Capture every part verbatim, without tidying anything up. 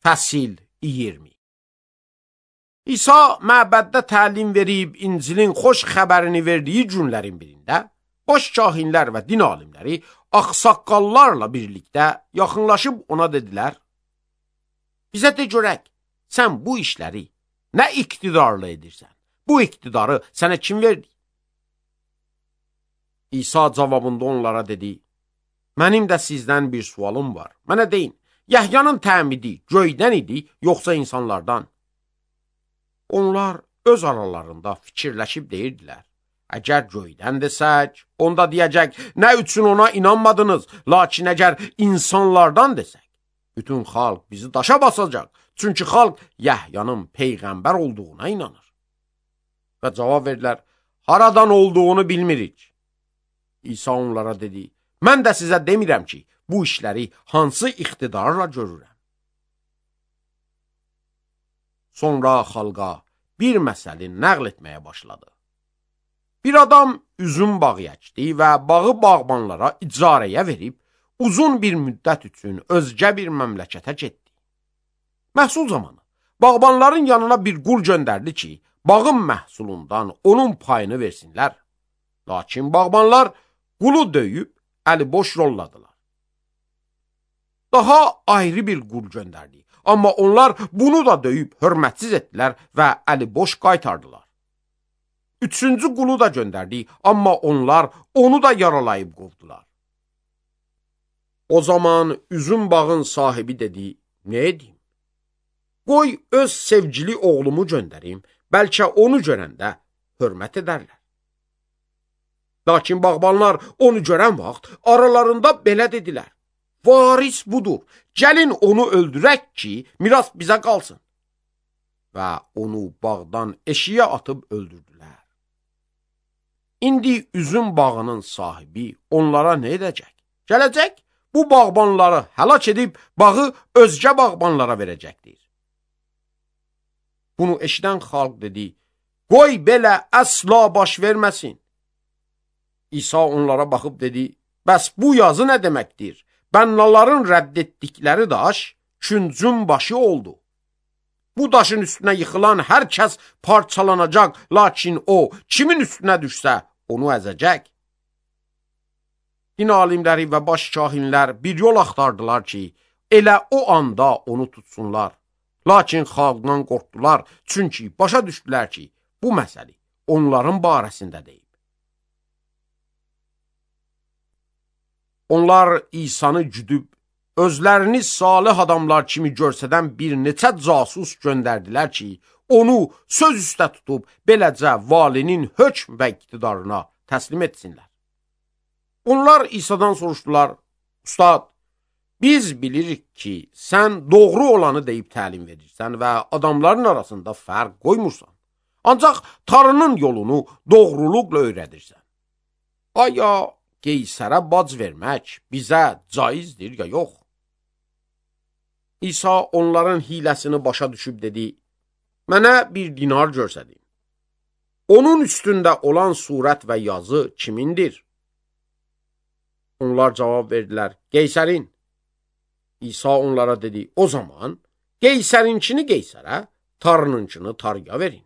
Fəsil iyirmi. İsa məbəddə təlim verib İncilin xoş xəbərini verdiyi günlərin birində, baş kahinlər və din alimləri ağsaqqallarla birlikdə yaxınlaşıb ona dedilər: bizə de görək, sən bu işləri nə iqtidarla edirsən? Bu iqtidarı sənə kim verdi? İsa cavabında onlara dedi: mənim də sizdən bir sualım var. Mənə deyin, Yəhyanın təmidi göydən idi, yoxsa insanlardan? Onlar öz aralarında fikirləşib deyirdilər: əgər göydən desək, onda deyəcək, nə üçün ona inanmadınız? Lakin əgər insanlardan desək, bütün xalq bizi daşa basacaq. Çünki xalq Yəhyanın peyğəmbər olduğuna inanır. Və cavab verdilər: haradan olduğunu bilmirik. İsa onlara dedi: mən də sizə demirəm ki, bu işləri hansı iqtidarla görürəm. Sonra xalqa bir məsələ nəql etməyə başladı. Bir adam üzüm bağı əkdi və bağı bağbanlara icarəyə verib, uzun bir müddət üçün özgə bir məmləkətə getdi. Məhsul zamanı bağbanların yanına bir qul göndərdi ki, bağın məhsulundan onun payını versinlər. Lakin bağbanlar qulu döyüb, əli boş yolladılar. Daha ayrı bir qul göndərdi. Amma onlar bunu da döyüb hörmətsiz etdilər və əli boş qaytardılar. Üçüncü qulu da göndərdi, amma onlar onu da yaralayıb qovdular. O zaman üzüm bağın sahibi dedi: nə edeyim? Qoy öz sevgili oğlumu göndərim, bəlkə onu görəndə hörmət edərlər. Lakin bağbanlar onu görən vaxt aralarında belə dedilər: varis budur, gəlin onu öldürək ki, miras bizə qalsın. Və onu bağdan eşiyə atıb öldürdülər. İndi üzüm bağının sahibi onlara nə edəcək? Gələcək, bu bağbanları həlak edib bağı özgə bağbanlara verəcəkdir. Bunu eşidən xalq dedi: qoy belə əsla baş verməsin. İsa onlara baxıb dedi: bəs bu yazı nə deməkdir? Bənnaların rədd etdikləri daş küncün başı oldu. Bu daşın üstünə yıxılan hər kəs parçalanacaq, lakin o, kimin üstünə düşsə, onu əzəcək. Din alimləri və baş kahinlər bir yol axtardılar ki, elə o anda onu tutsunlar. Lakin xalqdan qorxdular, çünki başa düşdülər ki, bu məsələ onların barəsində deyib. Onlar İsanı güdüb, özlərini salih adamlar kimi görsədən bir neçə casus göndərdilər ki, onu söz üstə tutub, beləcə valinin hökm və iqtidarına təslim etsinlər. Onlar İsa'dan soruşdular: ustad, biz bilirik ki, sən doğru olanı deyib təlim verirsən və adamların arasında fərq qoymursan. Ancaq Tanrının yolunu doğruluqla öyrədirsən. Aya Qeysərə bac vermək bizə caizdir ya yox? İsa onların hiləsini başa düşüb dedi: mənə bir dinar görsədin. Onun üstündə olan surət və yazı kimindir? Onlar cavab verdilər: Qeysərin. İsa onlara dedi: o zaman Qeysərinkini Qeysərə, Tanrınınkini Tanrıya verin.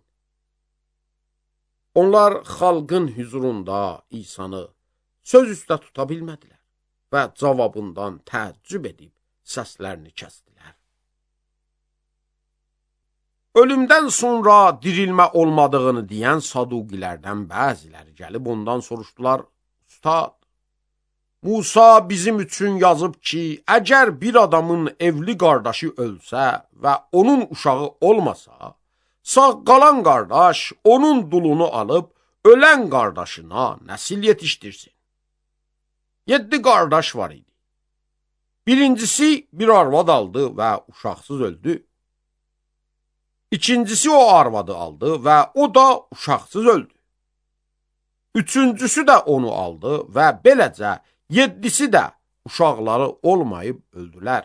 Onlar xalqın hüzurunda İsanı söz üstə tuta bilmədilər və cavabından təəccüb edib səslərini kəsdilər. Ölümdən sonra dirilmə olmadığını deyən saduqilərdən bəziləri gəlib ondan soruşdular: ustad, Musa bizim üçün yazıb ki, əgər bir adamın evli qardaşı ölsə və onun uşağı olmasa, sağ qalan qardaş onun dulunu alıb ölən qardaşına nəsil yetişdirsin. Yeddi qardaş var idi. Birincisi bir arvad aldı və uşaqsız öldü. İkincisi o arvadı aldı və o da uşaqsız öldü. Üçüncüsü də onu aldı və beləcə yeddisi də uşaqları olmayıb öldülər.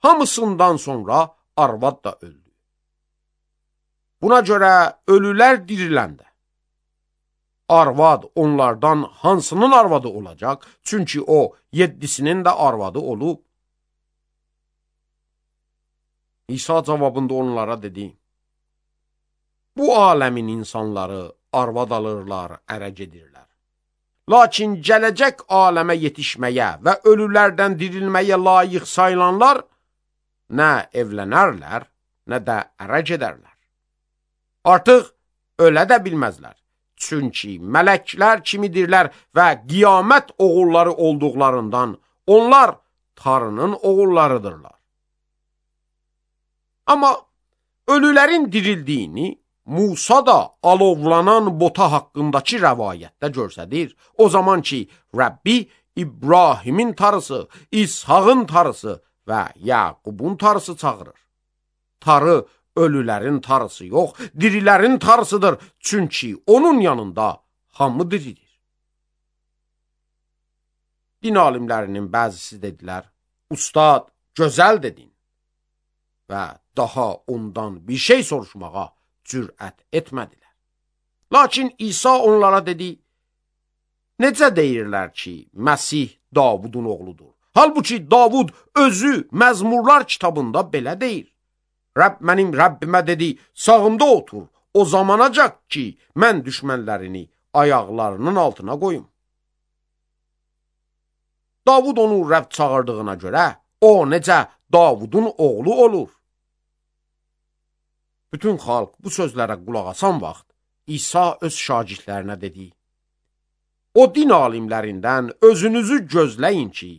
Hamısından sonra arvad da öldü. Buna görə ölülər diriləndə arvad onlardan hansının arvadı olacaq? Çünki o yeddisinin də arvadı olub. İsa cavabında onlara dedi, bu aləmin insanları arvad alırlar, ərə gedirlər. Lakin gələcək aləmə yetişməyə və ölülərdən dirilməyə layiq sayılanlar nə evlənərlər, nə də ərə gedərlər. Artıq ölə də bilməzlər. Çünki mələklər kimidirlər və qiyamət oğulları olduqlarından onlar Tanrının oğullarıdırlar. Amma ölülərin dirildiyini Musa da alovlanan bota haqqındakı rəvayətdə görsədir. O zaman ki, Rəbbi İbrahimin tarısı, İshağın tarısı və Yaqubun tarısı çağırır. Tarı ölülərin tarısı yox, dirilərin tarısıdır. Çünki onun yanında hamı diridir. Din alimlərinin bəzisi dedilər, Ustad, gözəl dedin və daha ondan bir şey soruşmağa cürət etmədilər. Lakin İsa onlara dedi, necə deyirlər ki, Məsih Davudun oğludur? Halbuki Davud özü Məzmurlar kitabında belə deyir. Rəbb mənim Rəbbimə dedi, sağımda otur, o zamanacaq ki, mən düşmənlərini ayaqlarının altına qoyum. Davud onu Rəbb çağırdığına görə, o necə Davudun oğlu olur? Bütün xalq bu sözlərə qulaq asan vaxt, İsa öz şagirdlərinə dedi, o din alimlərindən özünüzü gözləyin ki,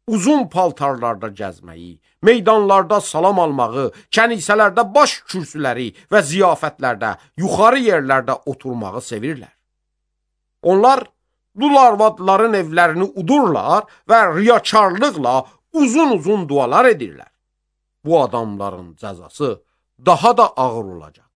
uzun paltarlarda gəzməyi, meydanlarda salam almağı, kənisələrdə baş kürsüləri və ziyafətlərdə, yuxarı yerlərdə oturmağı sevirlər. Onlar dul arvadların evlərini udurlar və riyakarlıqla uzun-uzun dualar edirlər. Bu adamların cəzası daha da ağır olacaq.